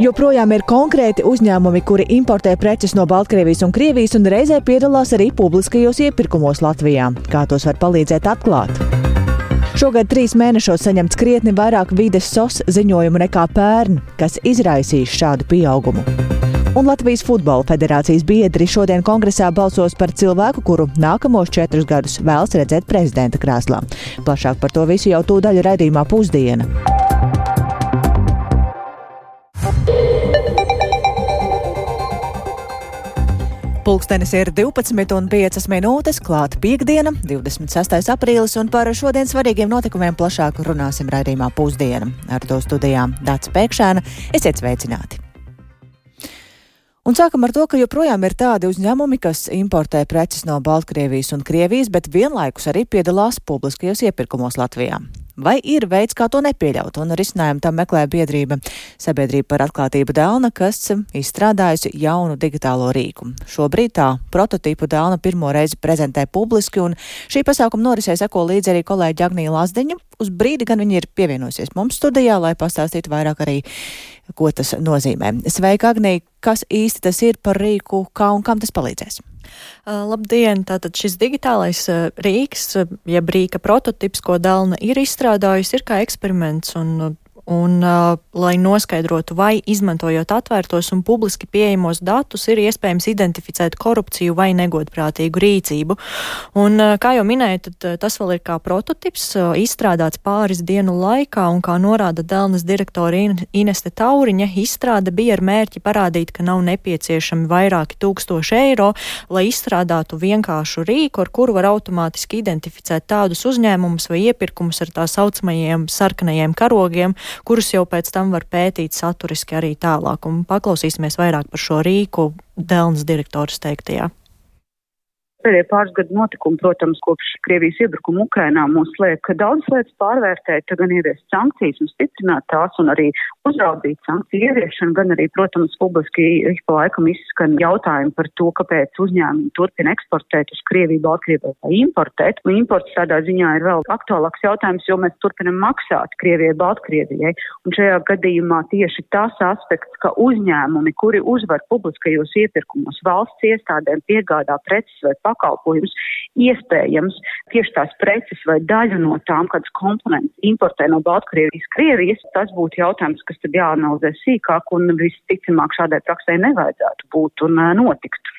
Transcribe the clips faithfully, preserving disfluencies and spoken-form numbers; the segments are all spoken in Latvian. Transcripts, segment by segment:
Joprojām ir konkrēti uzņēmumi, kuri importē preces no Baltkrievijas un Krievijas un reizē piedalās arī publiskajos iepirkumos Latvijā. Kā tos var palīdzēt atklāt? Šogad trīs mēnešos saņemts krietni vairāk vides S O S ziņojumu nekā pērn, kas izraisīs šādu pieaugumu. Un Latvijas Futbola federācijas biedri šodien kongresā balsos par cilvēku, kuru nākamos četrus gadus vēlas redzēt prezidenta krēslā. Plašāk par to visu jau tūdaļ raidījumā Pusdiena. Pulkstenis ir divpadsmit un piecas minūtes, klāt piektdiena, divdesmit sestais aprīlis, un par šodien svarīgiem notikumiem plašāk runāsim raidījumā Pusdiena. Ar to studijām Dāca Pēkšēna. Esiet sveicināti! Un sākam ar to, ka joprojām ir tādi uzņēmumi, kas importē preces no Baltkrievijas un Krievijas, bet vienlaikus arī piedalās publiskajos iepirkumos Latvijā. Vai ir veids, kā to nepieļaut? Un risinājumu tam meklē biedrība Sabiedrība par atklātību Delna, kas izstrādājusi jaunu digitālo rīku. Šobrīd tā prototipu Delna pirmo reizi prezentē publiski, un šī pasākuma norisē seko līdzi arī kolēģi Agnija Lazdiņa. Uz brīdi gan viņi ir pievienojusies mums studijā, lai pastāstītu vairāk arī, ko tas nozīmē. Sveika, Agnija! Kas īsti tas ir par rīku, kā un kam tas palīdzēs? Uh, labdien! Tātad šis digitālais uh, rīks, uh, jeb rīka prototips, ko Delna ir izstrādājusi, ir kā eksperiments un Un, uh, lai noskaidrotu, vai izmantojot atvērtos un publiski pieejamos datus, ir iespējams identificēt korupciju vai negodprātīgu rīcību. Un, uh, kā jau minēju, tad uh, tas vēl ir kā prototips, uh, izstrādāts pāris dienu laikā, un kā norāda Delnas direktora Ineste Tauriņa, izstrāde bija ar mērķi parādīt, ka nav nepieciešami vairāki tūkstoši eiro, lai izstrādātu vienkāršu rīku, ar kuru var automātiski identificēt tādus uzņēmumus vai iepirkumus ar tā saucamajiem sarkanajiem karogiem, kurus jau pēc tam var pētīt saturiski arī tālāk. Un paklausīsimies vairāk par šo rīku Delnas direktoras teiktajā. Pēdējie pāris gadu notikumi, protams, kopš Krievijas iebrukuma Ukrainā mūs liek daudz lietas pārvērtēt, gan ieviest sankcijas un stiprināt tās un arī uzraudzīt sankciju ieviešanu, gan arī, protams, publiski ik pa laikam izskan jautājumi par to, kāpēc uzņēmumi turpina eksportēt uz Krieviju, Baltkrieviju vai importēt. Un imports tādā ziņā ir vēl aktuālāks jautājums, jo mēs turpinam maksāt Krievijai, Baltkrievijai. Un šajā gadījumā tieši tas aspekts, ka uzņēmumi, kuri uzvar publiskajos iepirkumos valsts iestādēm piegādā preces vai pakalpojums, iespējams tieši tās preces vai daļu no tām, kādas komponentes importē no Baltkrievijas, Krievijas, tas būtu jautājums, kas tad jāanalizē sīkāk un visticamāk šādai praksē nevajadzētu būt un notikt.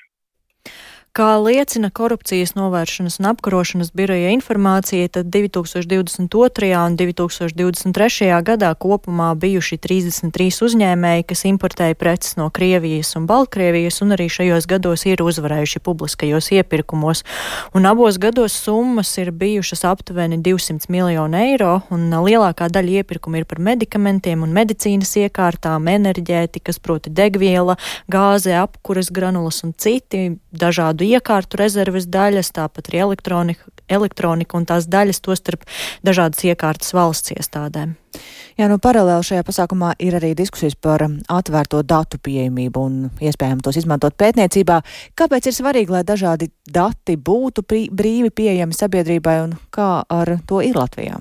Kā liecina korupcijas novēršanas un apkarošanas biroja informācija, tad divi tūkstoši divdesmit otrajā un divi tūkstoši divdesmit trešajā gadā kopumā bijuši trīsdesmit trīs uzņēmēji, kas importēja preces no Krievijas un Baltkrievijas, un arī šajos gados ir uzvarējuši publiskajos iepirkumos. Un abos gados summas ir bijušas aptuveni divsimt miljoni eiro, un lielākā daļa iepirkumu ir par medikamentiem un medicīnas iekārtām, enerģētikas, proti degviela, gāze, apkuras granulas un citi dažādu iekārtu rezerves daļas, tāpat arī elektronika, elektronika un tās daļas, tostarp dažādas iekārtas valsts iestādēm. Jā, nu paralēli šajā pasākumā ir arī diskusijas par atvērto datu pieejamību un iespējām tos izmantot pētniecībā. Kāpēc ir svarīgi, lai dažādi dati būtu brīvi pieejami sabiedrībai un kā ar to ir Latvijā?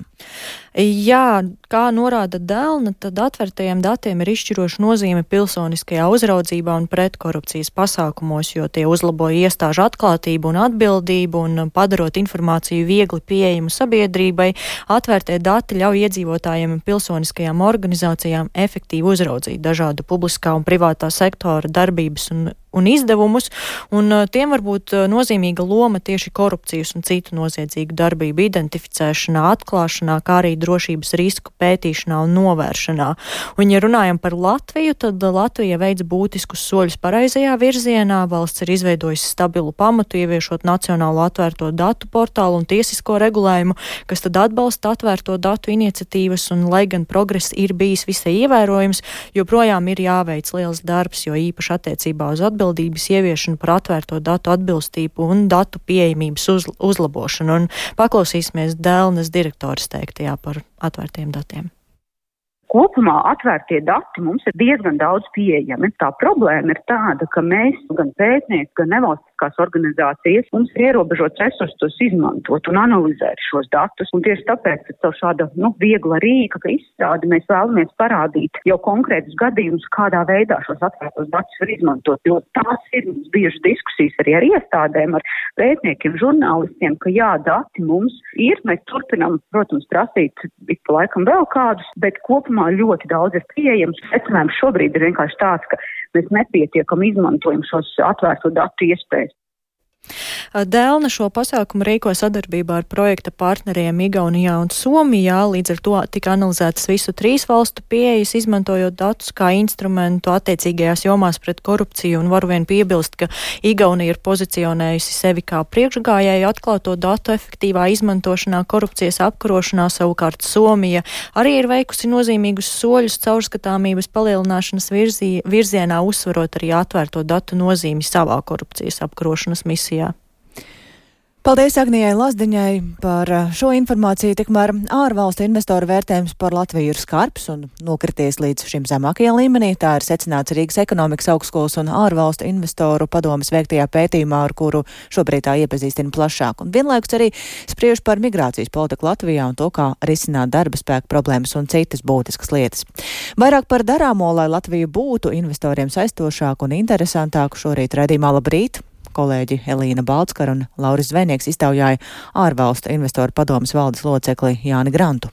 Jā, kā norāda Delna, tad atvērtajiem datiem ir izšķiroša nozīme pilsoniskajā uzraudzībā un pretkorupcijas pasākumos, jo tie uzlabo iestāžu atklātību un atbildību un padarot informāciju viegli pieejamu sabiedrībai. Atvērtie dati ļauj iedzīvotājiem un pilsoniskajām organizācijām efektīvi uzraudzīt dažādu publiskā un privātā sektora darbības un un izdevumus, un tiem var būt nozīmīga loma tieši korupcijas un citu noziedzīgu darbību identificēšanā, atklāšanā, kā arī drošības risku pētīšanā un novēršanā. Un, ja runājam par Latviju, tad Latvija veids būtiskus soļus pareizajā virzienā. Valsts ir izveidojusi stabilu pamatu, ieviešot nacionālo atvērto datu portālu un tiesisko regulējumu, kas tad atbalsta atvērto datu iniciatīvas, un lai gan progress ir bijis visai ievērojams, joprojām ir jāveic liels darbs, jo īpaši attiecībā uz atbildību atbildības ieviešanu par atvērto datu atbilstību un datu pieejamības uz, uzlabošanu. Un paklausīsimies Delnas direktoras teiktajā par atvērtiem datiem. Kopumā atvērtie dati mums ir diezgan daudz pieejami. Tā problēma ir tāda, ka mēs, gan pētnieki, gan nevalstiskās nevalstiskās organizācijas, mums ir ierobežots resursus tos izmantot un analizēt šos datus. Un tieši tāpēc, ka caur šāda, nu, viegla rīka izstrādi mēs vēlamies parādīt jau konkrētus gadījumus, kādā veidā šos atvērtos datus var izmantot. Jo tās ir bieži diskusijas arī ar iestādēm, ar pētniekiem, žurnālistiem, ka jā, dati mums ir, mēs turpinām, protams, prasīt ik pa laikam vēl kādus, bet kopumā ļoti daudz ir pieejams. Secinājums šobrīd ir vienkārši tāds, ka mēs nepietiekam izmantojam šos atvērto datu iespējas. Delna šo pasākumu rīko sadarbībā ar projekta partneriem Igaunijā un Somijā, līdz ar to tika analizētas visu trīs valstu pieejas, izmantojot datus kā instrumentu attiecīgajās jomās pret korupciju, un varu vien piebilst, ka Igaunija ir pozicionējusi sevi kā priekšgājēju atklāto datu efektīvā izmantošanā korupcijas apkarošanā, savukārt Somija arī ir veikusi nozīmīgus soļus caurskatāmības palielināšanas virzī, virzienā, uzsverot arī atvērto datu nozīmi savā korupcijas apkarošanas misijā. Paldies Agnijai Lazdiņai par šo informāciju. Tikmēr ārvalstu investoru vērtējums par Latviju ir skarbs un nokrities līdz šim zemākajā līmenī. Tā ir secināts Rīgas ekonomikas augstskolas un ārvalstu investoru padomes veiktajā pētījumā, ar kuru šobrīd tā iepazīstina plašāk. Un vienlaikus arī spriež par migrācijas politiku Latvijā un to, kā risināt darba spēku problēmas un citas būtiskas lietas. Vairāk par darāmo, lai Latvija būtu investoriem saistošāku un interesantāku, šorīt raidījumā Labrīt kolēģi Elīna Baltskara un Lauris Zvejnieks iztaujāja ārvalstu investoru padomes valdes locekli Jāni Grantu.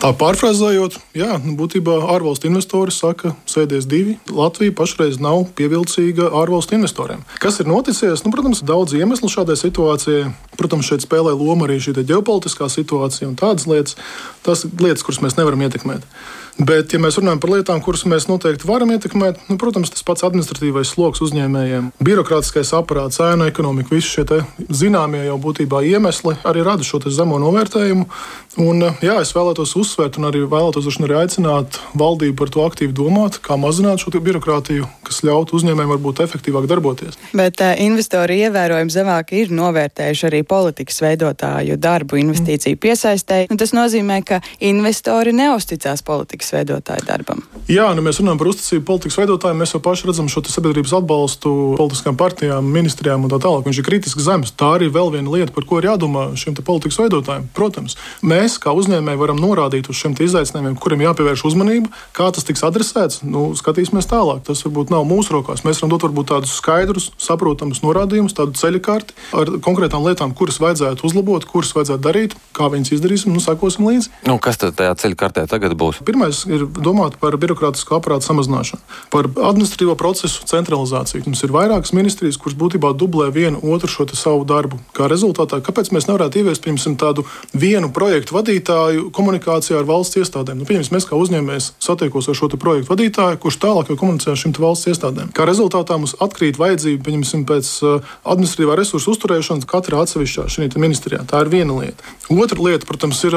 Tā pārfrāzējot, jā, būtībā ārvalstu investori saka, sēdies divi. Latvija pašreiz nav pievilcīga ārvalstu investoriem. Kas ir noticies? Nu, protams, daudz iemeslu šādai situācijai. Protams, šeit spēlē loma arī šī ģeopolitiskā situācija un tādas lietas. Tas lietas, kuras mēs nevaram ietekmēt. Bet, ja mēs runājam par lietām, kuras mēs noteikti varam ietekmēt, nu, protams, tas pats administratīvais sloks uzņēmējiem, birokrātiskais aparāts, ēnu ekonomika, visi šie te zināmie jau būtībā iemesli arī rada šo te zemo novērtējumu. Un, jā, es vēlētos uzsvērt un arī vēlētos arī aicināt valdību par to aktīvi domāt, kā mazināt šo birokrātiju, kas ļautu uzņēmējiem varbūt efektīvāk darboties. Bet uh, investori ievērojami zemāk ir novērtējuši arī politikas veidotāju darbu investīciju piesaistē. Un tas nozīmē, ka investori neusticās politikas veidotāju darbam. Jā, nu mēs runājam par uzticību politikas veidotājiem, mēs jau paši redzam šo sabiedrības atbalstu politiskām partijām, ministrijām un tā tālāk. Viņš ir kritiski zems. Tā arī vēl viena lieta, par ko ir jādomā šiem te politikas veidotājiem. Protams, mēs kā uzņēmēji varam norādīt uz šiem te izaicinājumiem, kuriem jāpievērš uzmanība, kā tas tiks adresēts. Nu, skatīsimies tālāk. Tas varbūt nav mūsu rokās. Mēs varam dot varbūt tādus skaidrus, saprotamus norādījumus, tādu ceļakārti ar konkrētām lietām, kuras vajadzētu uzlabot, kuras vajadzētu darīt, kā viņas izdarīsim, nu sakosim līdzi. Nu, kas tad tajā ceļakartē tagad būs? Pirmais ir domāt par birokrātisko aparātu samazināšanu, par administratīvo procesu centralizāciju. Mums ir vairākas ministrijas, kuras būtībā dublē vienu otru šo savu darbu. Kā rezultātā, kāpēc mēs nevarētu ieviest, piemēram, tādu vienu projektu vadītāju komunikācijā ar valsts iestādēm? Nu, pieņems, mēs kā uzņēmējs satiekos ar šo projektu vadītāju, kurš tālāk jau komunicē ar šīm valsts iestādēm. Kā rezultātā mums atkrīt vajadzība, pieņemsim, pēc administratīvā resursu uzturēšanas katrā atsevišķā šī ministrijā. Tā ir viena lieta. Otra lieta, protams, ir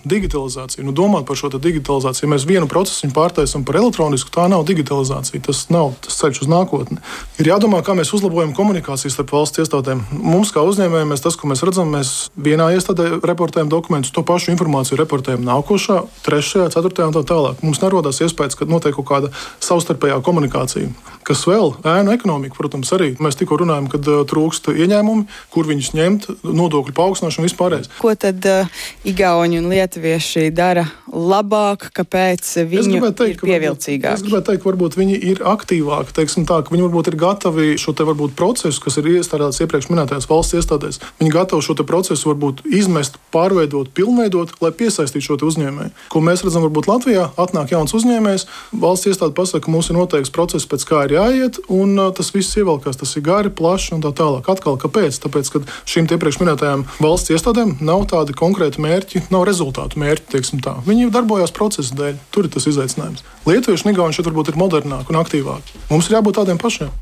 digitalizācija. Nu, domāt par šo digitalizāciju. Ja mēs vienu procesu pārtaisam par elektronisku, tā nav digitalizācija. Tas nav tas ceļš uz nākotni. Ir jādomā, kā mēs uzlabojam komunikācijas starp valsts iestādēm. Mums, kā uzņēmējiem, mēs tas, ko mēs redzam, mēs vienā iestādē reportējam dokumentus, to pašu informāciju reportējam nākošā, trešajā, ceturtajā un tā tālāk. Mums nerodās iespējas, ka notiek kaut kāda savstarpējā komunikācija. Kas vēl? Ēnu ekonomika, protams, arī. Mēs tikko runājam, kad uh, trūkst ieņēmumi, kur viņus ņemt, nodokļu paaugstināšanu vispārējais. Ko tad uh, igauņi un lietuvieši dara labāk, kāpēc viņi teikt, ir pievilcīgāki? Es gribētu teikt, ka varbūt viņi ir aktīvāki, teiksim tā, ka viņi varbūt ir gatavi šo te varbūt procesu, kas ir iestādāts iepriekš minētajās valsts iestādēs. Viņi gatavi šo te procesu varbūt izmest, pārveidot, pilnveidot, lai piesaistītu šo te uzņēmēju. Ko mēs redzam varbūt Latvijā, atnāk jauns uzņēmējs, valsts iestāde pasaka, ka mums ir noteikts process, pēc kā ir jāiet, un uh, tas viss ievelkās, tas ir gari, plaši un tā tālāk. Atkal, kāpēc? Tāpēc, ka šīm iepriekš minētajām valsts iestādēm nav tādi konkrēti mērķi, nav rezultātu mērķi, teiksim tā. Viņi darbojās procesa dēļ. Tur ir tas izaicinājums. Lietuvieši un igauņi šeit varbūt ir modernāki un aktīvāki. Mums ir jābūt tādiem pašiem.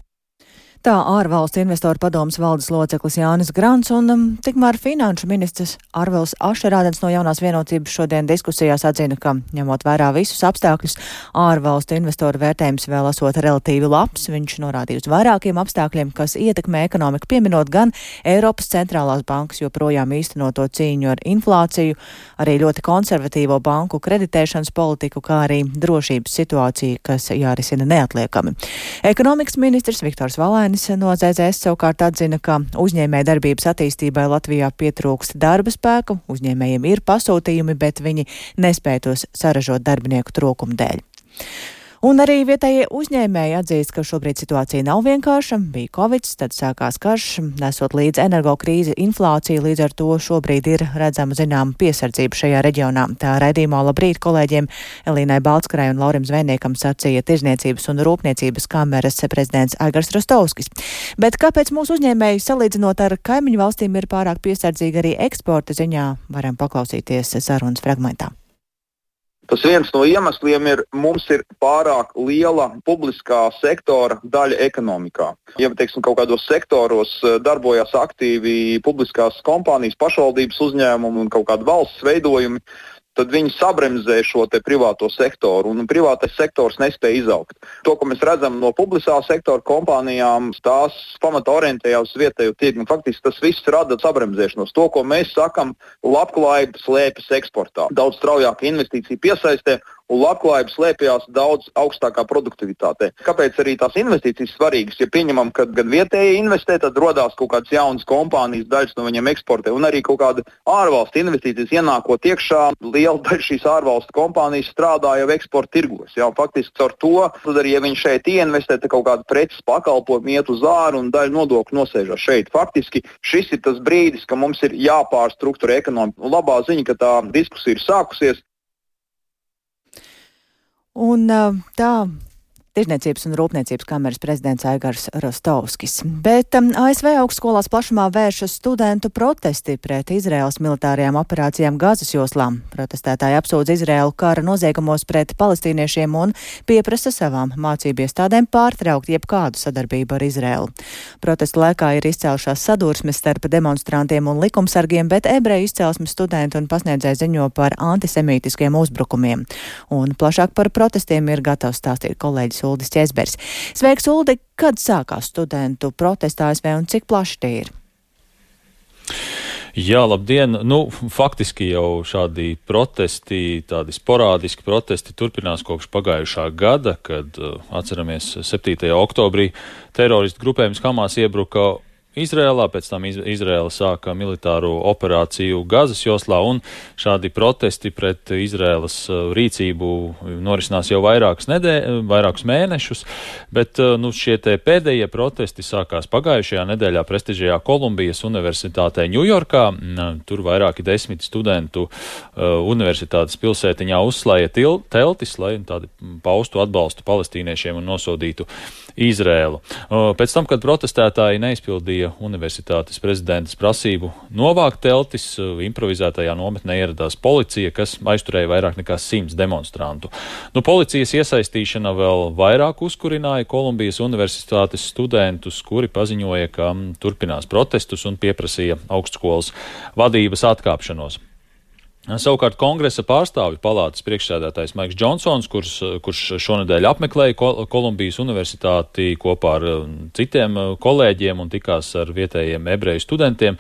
Tā ārvalstu investoru padomes valdes loceklis Jānis Grants un um, tikmēr finanšu ministrs Arvils Ašerādens no Jaunās vienotības šodien diskusijās atzina, ka, ņemot vērā visus apstākļus, ārvalstu investoru vērtējums vēl esot relatīvi labs. Viņš norādīja uz vairākiem apstākļiem, kas ietekmē ekonomiku, pieminot gan Eiropas centrālās bankas joprojām īstenoto cīņu ar inflāciju, arī ļoti konservatīvo banku kreditēšanas politiku, kā arī drošības situāciju, kas jārisina neatliekami. Ekonomikas ministrs Viktors Valēns Brautenis no Z Z S savukārt atzina, ka uzņēmēja darbības attīstībai Latvijā pietrūkst darba spēku, uzņēmējiem ir pasūtījumi, bet viņi nespēj tos saražot darbinieku trūkuma dēļ. Un arī vietējie uzņēmēji atzīst, ka šobrīd situācija nav vienkārša. Bija Covid, tad sākās karš, nesot līdz energokrīzi, inflācija, līdz ar to šobrīd ir redzama zinām piesardzība šajā reģionā. Tā raidījumā labrīt kolēģiem Elīnai Baltskarai un Laurim Zvejniekam sacīja Tirzniecības un Rūpniecības kameras prezidents Aigars Rostovskis. Bet kāpēc mūsu uzņēmēji salīdzinot ar kaimiņu valstīm ir pārāk piesardzīgi arī eksporta ziņā, varam paklausīties sarunas fragmentā. Tas viens no iemesliem ir, mums ir pārāk liela publiskā sektora daļa ekonomikā. Ja, teiksim, kaut kādos sektoros darbojas aktīvi publiskās kompānijas, pašvaldības uzņēmumi un kaut kādi valsts veidojumi, tad viņi sabremzē šo te privāto sektoru, un privātais sektors nespēja izaugt. To, ko mēs redzam no publiskā sektora kompānijām, tās pamata orientējās uz vietējo tirgu. Faktiski tas viss rada sabremzēšanos. To, ko mēs sakam, labklājība slēpjas eksportā. Daudz straujāka investīcija piesaistē, un labklājība slēpjas daudz augstākā produktivitātē. Kāpēc arī tās investīcijas svarīgas? Ja pieņemam, ka gan vietēji investē, tad rodās kaut kādas jaunas kompānijas, daļas no viņiem eksportē, un arī kaut kāda ārvalstu investīcijas ienākot iekšā, liela daļa šīs ārvalstu kompānijas strādā jau eksporta tirgos. Jā, faktiski caur to, tad arī, ja viņi šeit ieinvestē, tad kaut kāda preces pakalpojumi iet uz āru un daļa nodokļu nosēžas šeit. Faktiski šis ir tas brīdis, ka mums ir jāpārstrukturē ekonomika. Un labā ziņa, ka tā diskusija ir sākusies. Un tā Tirzniecības un Rūpniecības kameras prezidents Aigars Rostovskis. Bet um, A S V augstskolās plašumā vēršas studentu protesti pret Izraēlas militārajām operācijām Gazas joslā. Protestētāji apsūdz Izraēlu kara noziegumos pret palestīniešiem un pieprasa savām mācību iestādēm pārtraukt jebkādu sadarbību ar Izraēlu. Protestu laikā ir izcēlušās sadursmes starp demonstrantiem un likumsargiem, bet ebreju izcelsmes studenti un pasniedzēji ziņo par antisemītiskiem uzbrukumiem. Un plašāk par protestiem ir gatavs stāstīt kolēģis Uldis Ķezbers. Sveiks, Uldi! Kad sākās studentu protesti A S V un cik plaši tie ir? Jā, labdien! Nu, faktiski jau šādi protesti, tādi sporādiski protesti turpinās kopš pagājušā gada, kad, atceramies, septītajā oktobrī teroristu grupējums Hamas iebruka Izrēlā, pēc tam Izrēla sāka militāro operāciju Gazas joslā, un šādi protesti pret Izrēlas rīcību norisinās jau vairākus, nedē, vairākus mēnešus, bet nu, šie te pēdējie protesti sākās pagājušajā nedēļā prestižajā Kolumbijas universitātē Ņujorkā. Tur vairāki desmit studentu universitātes pilsētiņā uzslēja teltis, lai tādi paustu atbalstu palestīniešiem un nosodītu Izrēlu. Pēc tam, kad protestētāji neizpildīja universitātes prezidentas prasību novākt teltis, improvizētajā nometnē ieradās policija, kas aizturēja vairāk nekā simts demonstrantu. Nu, policijas iesaistīšana vēl vairāk uzkurināja Kolumbijas universitātes studentus, kuri paziņoja, ka turpinās protestus un pieprasīja augstskolas vadības atkāpšanos. Savukārt kongresa pārstāvju palātas priekšsēdētājs Maiks Džonsons, kurš, kurš šonedēļ apmeklēja Kolumbijas universitāti kopā ar citiem kolēģiem un tikās ar vietējiem ebreju studentiem,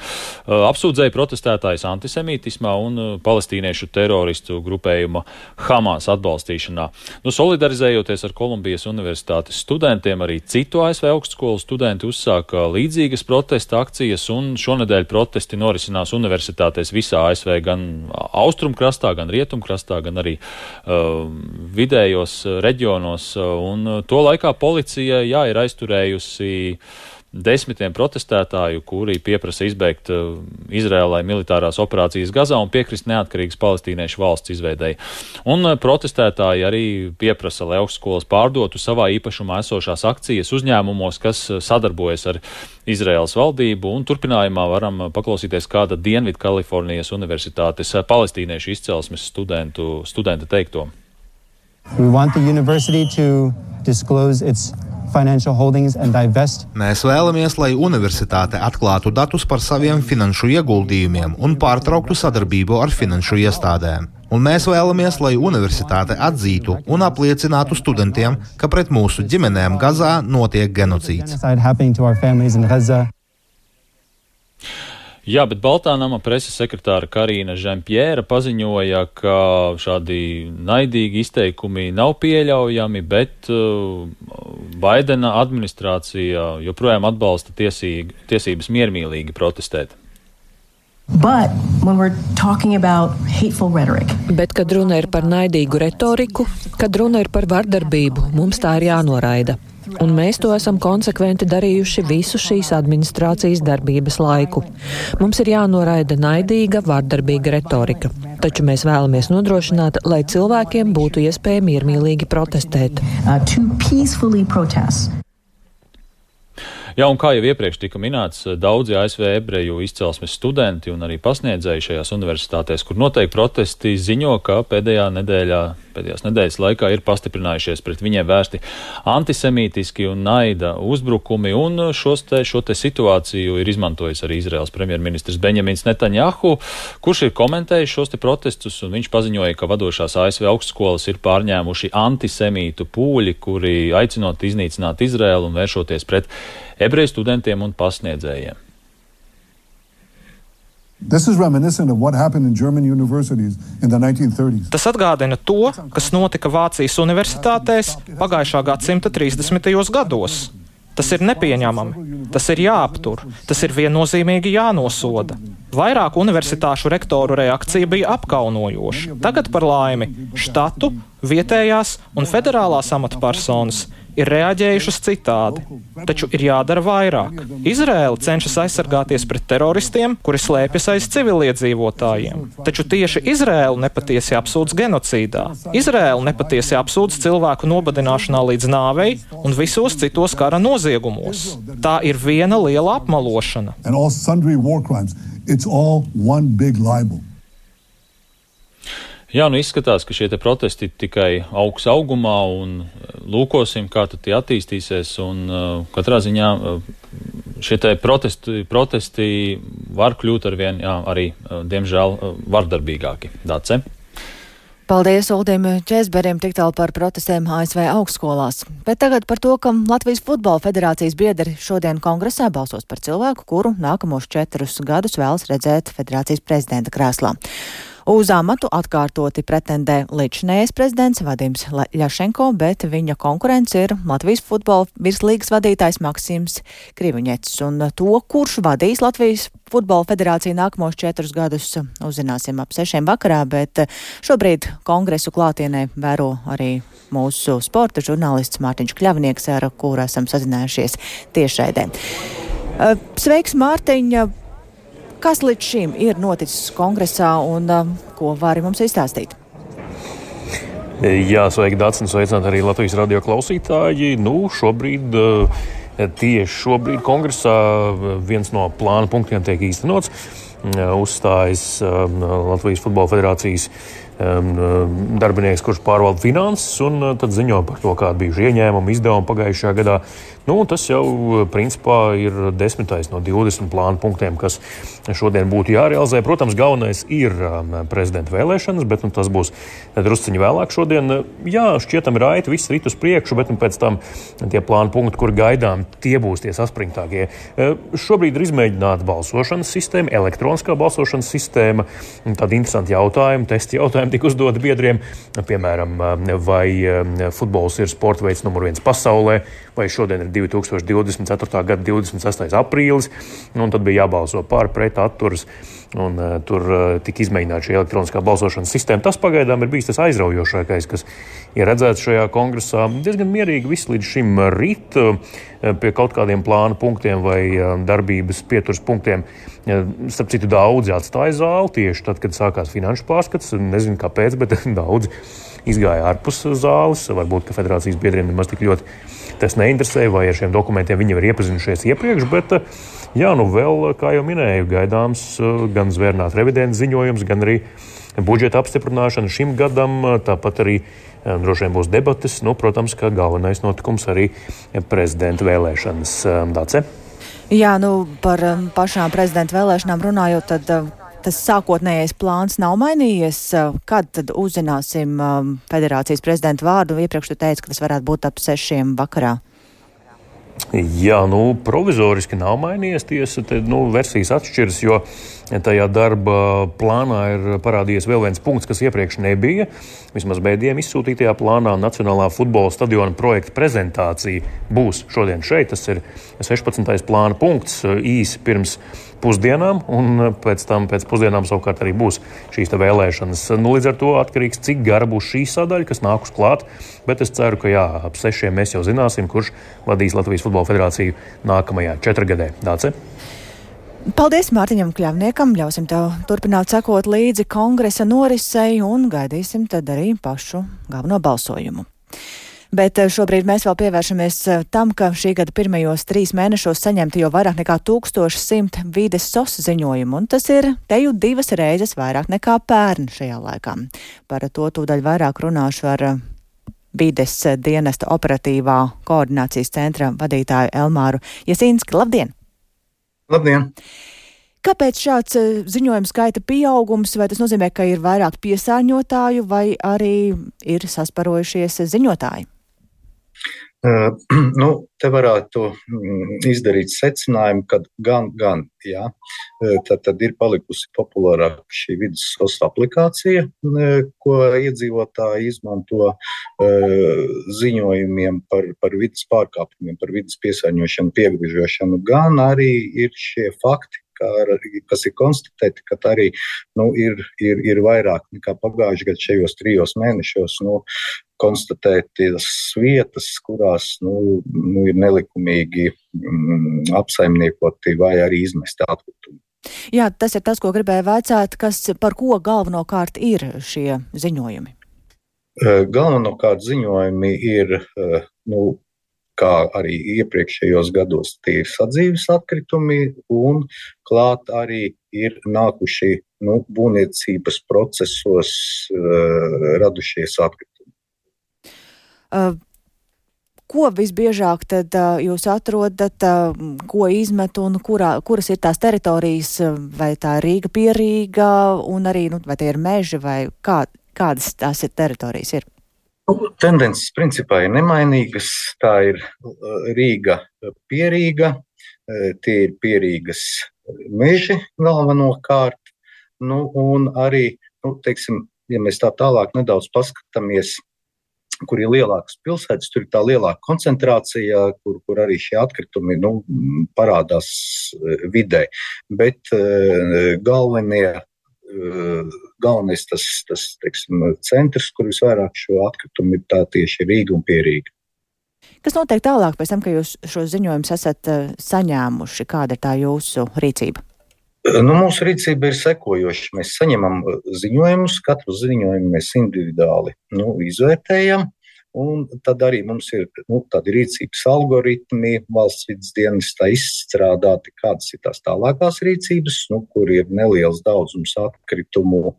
apsūdzēja protestētājus antisemītismā un palestīniešu teroristu grupējuma Hamas atbalstīšanā. Nu, solidarizējoties ar Kolumbijas universitātes studentiem, arī citu A S V augstskolu studenti uzsāka līdzīgas protesta akcijas, un šonedēļ protesti norisinās universitātēs visā A S V, gan austrumkrastā, gan rietumkrastā, gan arī uh, vidējos reģionos, un to laikā policija, jā, ir aizturējusi desmitiem protestētāju, kuri pieprasa izbeigt uh, Izrēlai militārās operācijas Gazā un piekrist neatkarīgas palestīniešu valsts izveidei. Un uh, protestētāji arī pieprasa, lai augstskolas pārdotu savā īpašumā esošās akcijas uzņēmumos, kas uh, sadarbojas ar Izraēlas valdību, un turpinājumā varam paklausīties kāda Dienvidu Kalifornijas universitātes uh, palestīniešu izcelsmes studentu, studenta teikto. We want the university to disclose its Mēs vēlamies, lai universitāte atklātu datus par saviem finanšu ieguldījumiem un pārtrauktu sadarbību ar finanšu iestādēm. Un mēs vēlamies, lai universitāte atzītu un apliecinātu studentiem, ka pret mūsu ģimenēm Gazā notiek genocīds. Jā, bet Baltā nama preses sekretāra Karīna Žempjēra paziņoja, ka šādi naidīgi izteikumi nav pieļaujami, bet uh, Baidena administrācija joprojām atbalsta tiesīgi, tiesības miermīlīgi protestēt. But when we're talking about hateful rhetoric. Bet, kad runa ir par naidīgu retoriku, kad runa ir par vardarbību, mums tā ir jānoraida. Un mēs to esam konsekventi darījuši visu šīs administrācijas darbības laiku. Mums ir jānoraida naidīga, vardarbīga retorika. Taču mēs vēlamies nodrošināt, lai cilvēkiem būtu iespēja miermīlīgi protestēt. Uh, to peacefully protest. Jā, un kā jau iepriekš tika minēts, daudzi A S V ebreju izcelsmes studenti un arī pasniedzēji šajās universitātēs, kur notiek protesti, ziņo, ka pēdējā nedēļā, pēdējās nedēļas laikā ir pastiprinājušies pret viņiem vērsti antisemītiski un naida uzbrukumi, un šos te, šo te situāciju ir izmantojis arī Izraels premjerministrs Benjamins Netanjahu, kurš ir komentējis šos te protestus, un viņš paziņoja, ka vadošās A S V augstskolas ir pārņēmuši antisemītu pūļi, kuri aicinot iznīcināt Izraelu un vēršoties pret ebreju studentiem un pasniedzējiem. Tas atgādina to, kas notika Vācijas universitātēs pagājušā gadsimta trīsdesmitajos gados. Tas ir nepieņemami, tas ir jāaptur, tas ir viennozīmīgi jānosoda. Vairāk universitāšu rektoru reakcija bija apkaunojoša. Tagad par laimi štatu, vietējās un federālās amatpersonas ir reaģējušas citādi, taču ir jādara vairāk. Izraēla cenšas aizsargāties pret teroristiem, kuri slēpjas aiz civiliedzīvotājiem. Taču tieši Izraēlu nepatiesi apsūdz genocīdā. Izraēlu nepatiesi apsūdz cilvēku nobadināšanā līdz nāvei un visos citos kara noziegumos. Tā ir viena liela apmalošana. Jā, nu izskatās, ka šie te protesti tikai augs augumā un lūkosim, kā tad tie attīstīsies, un uh, katrā ziņā uh, šie te protesti, protesti var kļūt arvien, jā, arī, uh, diemžēl, uh, vardarbīgāki. Dace? Paldies Uldim Česberim tik tālu par protestiem A S V augstskolās. Bet tagad par to, ka Latvijas futbola federācijas biedri šodien kongresā balsos par cilvēku, kuru nākamos četrus gadus vēlas redzēt federācijas prezidenta krēslā. Uz amatu atkārtoti pretendē līdzinējais prezidents Vadims Ļašenko, bet viņa konkurents ir Latvijas futbola virslīgas vadītājs Maksims Kriviņets. Un to, kurš vadīs Latvijas futbola federāciju nākamos četrus gadus, uzzināsim ap sešiem vakarā, bet šobrīd kongresu klātienē vēro arī mūsu sporta žurnālists Mārtiņš Kļavnieks, ar kuru esam sazinājušies tiešraidē. Sveiks, Mārtiņ! Kas līdz šim ir noticis kongresā un uh, ko vari mums izstāstīt? Jā, sveiki, Dācis, un sveicināt arī Latvijas radio klausītāji. Nu, šobrīd, uh, tieši šobrīd kongresā viens no plāna punktiem tiek īstenots. Uh, uzstājas uh, Latvijas futbola federācijas um, darbinieks, kurš pārvalda finanses, un uh, tad ziņo par to, kāda bijuši ieņēmumi, izdevumi pagājušajā gadā. Nu, tas jau, principā, ir desmitais no divdesmit plānu punktiem, kas šodien būtu jārealizē. Protams, galvenais ir prezidenta vēlēšanas, bet nu, tas būs drusciņi vēlāk šodien. Jā, šķietam raiti, viss rit uz priekšu, bet nu, pēc tam tie plānu punkti, kur gaidām, tie būs tie saspringtākie. Šobrīd ir izmēģināta balsošanas sistēma, elektroniskā balsošanas sistēma. Tādi interesanti jautājumi, testi jautājumi tika uzdoti biedriem. Piemēram, vai futbols ir sporta veids numur viens pasaulē, vai šodien ir divi tūkstoši divdesmit ceturtā gada divdesmit sestais aprīlis, nu, un tad bija jābalso pār, pret, atturas, un uh, tur uh, tika izmēģināta šī elektroniskā balsošanas sistēma. Tas pagaidām ir bijis tas aizraujošākais, kas ir redzēts šajā kongresā. Diezgan mierīgi viss līdz šim rit uh, pie kaut kādiem plānu punktiem vai uh, darbības pieturas punktiem. Uh, starp citu, daudzi atstāja zāli tieši tad, kad sākās finanšu pārskats. Nezinu, kāpēc, bet daudzi izgāja ārpus zāles. Varbūt, ka federācijas biedriem nemaz tik ļoti tas neinteresē, vai ar šiem dokumentiem viņi ir iepazinušies iepriekš, bet, jā, nu vēl, kā jau minēju, gaidāms gan zvērnāt revidents ziņojums, gan arī budžeta apstiprināšana šim gadam, tāpat arī droši vien būs debates, nu, protams, ka galvenais notikums arī prezidenta vēlēšanas. Dace? Jā, nu, par pašām prezidenta vēlēšanām runājot, tad tas sākotnējais plāns nav mainījies. Kad tad uzzināsim um, federācijas prezidenta vārdu? Iepriekš tu teici, ka tas varētu būt ap sešiem vakarā. Jā, nu, provizoriski nav mainījies tiesa, te, nu, versijas atšķiras, jo tajā darba plānā ir parādījies vēl viens punkts, kas iepriekš nebija. Vismaz mēdījiem izsūtītajā plānā Nacionālā futbola stadiona projekta prezentācija būs šodien šeit. Tas ir sešpadsmitais plāna punkts īsi pirms pusdienām, un pēc tam pēc pusdienām savukārt arī būs šīs te vēlēšanas. Nu, līdz ar to atkarīgs, cik gara būs šī sadaļa, kas nākus klāt, bet es ceru, ka jā, ap sešiem mēs jau zināsim, kurš vadīs Latvijas Futbola Federāciju nākamajā četrgadē. Dāce? Paldies Mārtiņam Kļavniekam, ļausim tev turpināt sekot līdzi kongresa norisei un gaidīsim tad arī pašu galveno balsojumu. Bet šobrīd mēs vēl pievēršamies tam, ka šī gada pirmajos trīs mēnešos saņemta jau vairāk nekā tūkstoš simt vides sos ziņojumu, un tas ir teju divas reizes vairāk nekā pērn šajā laikā. Par to tūdaļ vairāk runāšu ar vides dienesta operatīvā koordinācijas centra vadītāju Elmāru Jasīnski. Labdien! Labdien! Kāpēc šāds ziņojuma skaita pieaugums, vai tas nozīmē, ka ir vairāk piesārņotāju, vai arī ir sasparojušies ziņotāji? Uh, nu, te varētu izdarīt secinājumu, ka gan, gan, jā, tad, tad ir palikusi populārāka šī vides sos aplikācija, ko iedzīvotāji izmanto uh, ziņojumiem par, par vides pārkāpumiem, par vides piesārņošanu, piegvižošanu, gan arī ir šie fakti, kas ir konstatēti, ka arī nu, ir, ir, ir vairāk nekā pagājuši gadu šajos trijos mēnešos nu, konstatētas vietas, kurās nu, nu, ir nelikumīgi mm, apsaimniekoti vai arī izmesti atkritumi. Jā, tas ir tas, ko gribēju vaicāt, kas par ko galvenokārt ir šie ziņojumi? Galvenokārt ziņojumi ir, nu, kā arī iepriekšējos gados, tie ir sadzīves atkritumi un klāt arī ir nākuši nu, būvniecības procesos uh, radušies atkritumi. Uh, ko visbiežāk tad uh, jūs atrodat, uh, ko izmet un kurā, kuras ir tās teritorijas, vai tā ir Rīga, Pierīga un arī, nu, vai tie ir meži vai kā, kādas tās ir teritorijas ir? Tendences principā ir nemainīgas, tā ir Rīga, Pierīga, tie ir Pierīgas meži galvenokārt, nu un arī, nu, teiksim, ja mēs tā tālāk nedaudz paskatāmies, kur ir lielākas pilsētas, tur ir tā lielāka koncentrācija, kur, kur arī šie atkritumi nu, parādās vidē, bet uh, galvenie Galvenais tas, tas teiksim, centrs, kur visvairāk šo atkritumu ir tā tieši Rīga un Pierīga. Kas notiek tālāk pēc tam, ka jūs šo ziņojumus esat saņēmuši? Kāda ir tā jūsu rīcība? Nu, mūsu rīcība ir sekojoša. Mēs saņemam ziņojumus, katru ziņojumu mēs individuāli nu, izvērtējam. Un tad arī mums ir nu, tādi rīcības algoritmi, valsts vides dienestā izstrādāti, kādas ir tās tālākās rīcības, nu, kur ir neliels daudzums atkritumu.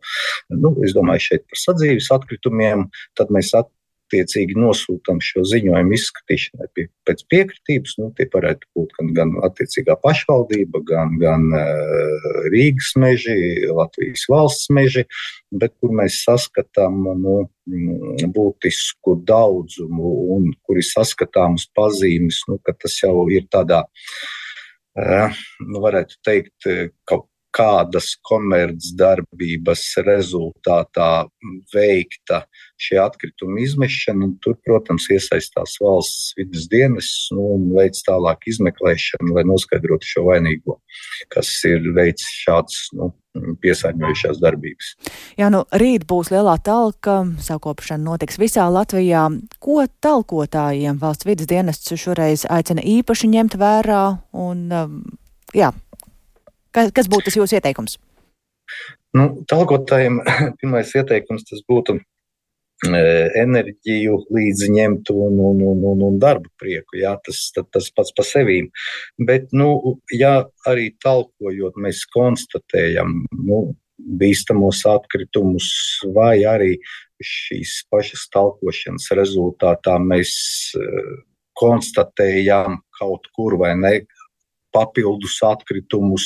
Nu, es domāju šeit par sadzīves atkritumiem, tad mēs attiecīgi nosūtam šo ziņojumu izskatīšanai pie, pēc piekritības. Nu, tie varētu būt gan, gan attiecīgā pašvaldība, gan, gan uh, Rīgas meži, Latvijas valsts meži, bet kur mēs saskatām nu, būtisku daudzumu un kur ir saskatāmas pazīmes, nu, ka tas jau ir tādā, nu, varētu teikt, kaut kādas komercdarbības rezultātā veikta šie atkritumi izmešana, un tur, protams, iesaistās valsts vides dienests nu, un veic tālāk izmeklēšanu, lai noskaidrotu šo vainīgo, kas ir veicis šāds nu, piesārņojušās darbības. Jā, nu, rīt būs lielā talka, sakopšana notiks visā Latvijā. Ko talkotājiem valsts vides dienests šoreiz aicina īpaši ņemt vērā un, jā, kas būtu tas jūsu ieteikums? Nu, talkotājiem pirmais ieteikums tas būtu enerģiju līdzi ņemt un, un, un, un, un darbu prieku, jā, tas, tas pats pa sevīm. Bet, nu, ja arī talkojot mēs konstatējam, nu, bīstamos atkritumus vai arī šīs pašas talkošanas rezultātā mēs konstatējam kaut kur vai ne papildus atkritumus,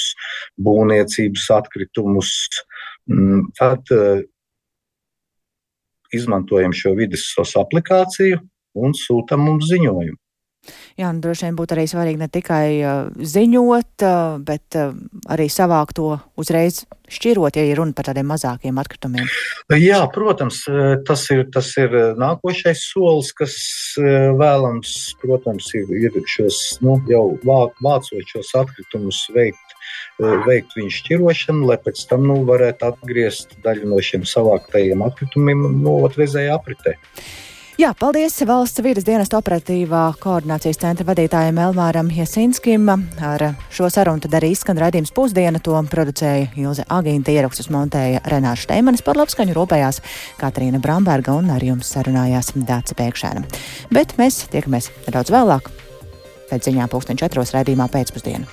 būvniecības atkritumus, tad izmantojam šo vides sos aplikāciju un sūtam mums ziņojumu. Jā, un droši vien būtu arī svarīgi ne tikai uh, ziņot, uh, bet uh, arī savākt to uzreiz šķirot, ja ir runa par tādiem mazākiem atkritumiem. Jā, protams, tas ir, tas ir nākošais solis, kas vēlams, protams, ir, ir šos, nu, jau vācot šos atkritumus veikt, veikt viņu šķirošanu, lai pēc tam, nu, varētu atgriezt daļu no šiem savāktajiem atkritumiem, nu, otrreizējā apritē. Jā, paldies Valsts vides dienesta operatīvā koordinācijas centra vadītājiem Elmāram Jasinskim. Ar šo sarunu tad arī izskan raidījums Pusdiena, to producēja Ilze Agīnta, ierakstus montēja Renārs Šteimanis, par labskaņu rūpējās Katrīna Bramberga un ar jums sarunājās Dāca Pēkšēna. Bet mēs tiekamies nedaudz vēlāk, pēc ziņām pulksten četros raidījumā Pēcpusdiena.